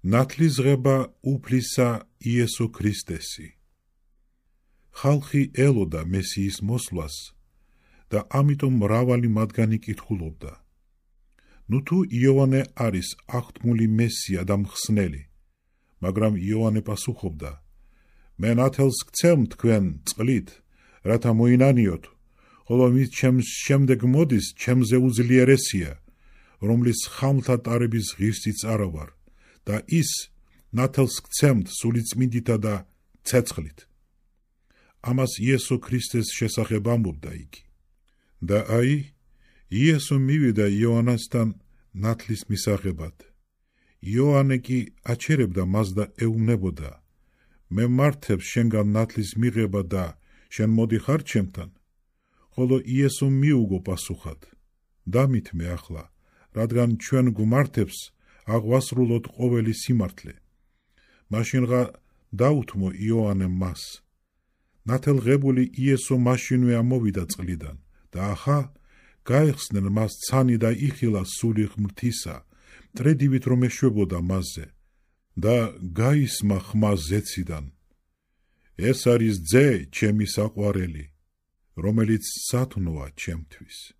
ნათლისღება უფლისა იესო ქრისტესი. ხალხი ელოდა მესიის მოსვლას და ამიტომ მრავალი მათგანი კითხულობდა: ნუ თუ იოანე არის აღთქმული მესია და მხსნელი, მაგრამ იოანე პასუხობდა: მე ნათელს გცემ თქვენ წყლით, რათა მოინანიოთ, ხოლო მის შემდეგ მოდის ჩემზე უძლიერესია, რომლის ხამლთა ტარების ღირსიც არა ვარ და ის ნათელს გცემთ სულიწმინდითა და ცეცხლით. ამას იესო ქრისტეს შესახებ ამბობდა იგი. და აი, იესო მივიდა იოანესთან ნათლის მისაღებად. იოანე კი აჩერებდა მას და ეუბნებოდა: მე მართებს შენგან ნათლის მიღება და შენ მოდიხარ ჩემთან? ხოლო იესომ მიუგო პასუხად: დამითმე ახლა, რადგან ჩვენ გვმართებს აღვასრულოთ ყოველი სიმართლე. მაშინღა დაუთმო იოანემ მას. ნათელღებული იესო მაშინვე ამოვიდა წყლიდან და ახა გაეხსნენ მას ცანი და იხილა სული ღმრთისა, მტრედივით რომ ეშვებოდა მასზე და გაისმა ხმა ზეციდან: ეს არის ძე ჩემი საყვარელი, რომელიც სათნოა ჩემთვის.